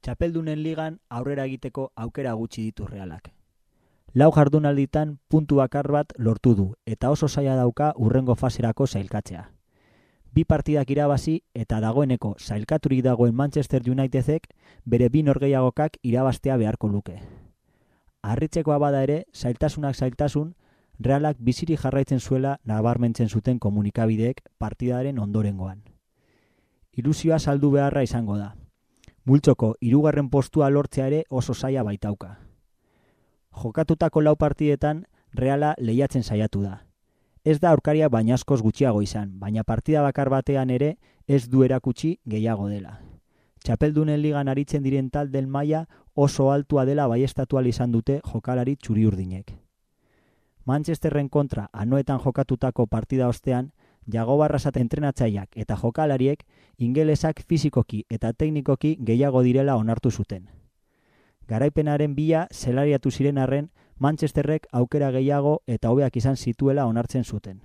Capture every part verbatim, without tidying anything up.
Txapeldunen ligan aurrera egiteko aukera gutxi ditu Realak. Lau jardunalditan puntu bakar bat lortu du eta oso zaila dauka hurrengo faserako sailkatzea. Bi partidak irabazi eta dagoeneko sailkaturik dagoen Manchester Unitedek bere bi norgehiagokak irabaztea beharko luke. Harritzekoa bada ere, zailtasunak zailtasun, Realak biziri jarraitzen zuela nabarmentzen zuten komunikabideek partidaren ondorengoan. Ilusioa saldu beharra izango da. Multzoko hirugarren postua lortzea ere oso zaila baitauka. Jokatutako lau partidetan Reala lehiatzen saiatu da. Ez da aurkaria baina askoz gutxiago izan, baina partida bakar batean ere ez du erakutsi gehiago dela. Txapeldunen ligan aritzen diren taldeen maila oso altua dela baiestatu ahal izan dute jokalari txuri-urdinek. Manchesterren kontra anoetan jokatutako partida ostean, Jago Barrasat entrenatzaileak eta jokalariek ingelesak fisikoki eta teknikoki gehiago direla onartu zuten. Garaipenaren bila zelariatu ziren arren, Manchesterrek aukera gehiago eta hobeak izan zituela onartzen zuten.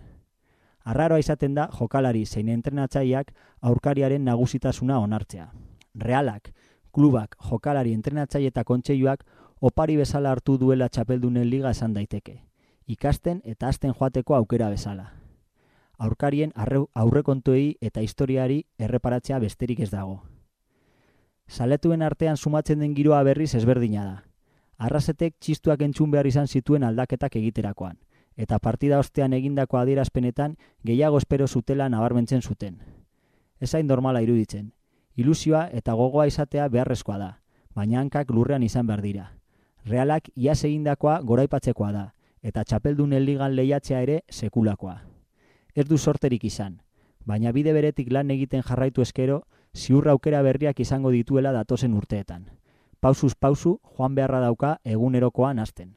Arraroa izaten da jokalari zein entrenatzaileak aurkariaren nagusitasuna onartzea. Realak, klubak, jokalari, entrenatzaile eta kontseiluak opari bezala hartu duela txapeldunen liga esan daiteke. Ikasten eta hasten joateko aukera bezala. Aurkarien aurrekontuei eta historiari erreparatzea besterik ez dago. Zaletuen artean sumatzen den giroa berriz ezberdina da. Arrasetek txistuak entzun behar izan zituen aldaketak egiterakoan, eta partida ostean egindako adierazpenetan gehiago espero zutela nabarmentzen zuten. Ez hain normala iruditzen. Ilusioa eta gogoa izatea beharrezkoa da, baina hankak lurrean izan behar dira. Realak iaz egindakoa goraipatzekoa da, eta txapeldunen ligan lehiatzea ere sekulakoa. Ez du sorterik izan, baina bide beretik lan egiten jarraitu eskero, ziurra aukera berriak izango dituela datozen urteetan. Pausuz pausu joan beharra dauka egunerokoan hasten.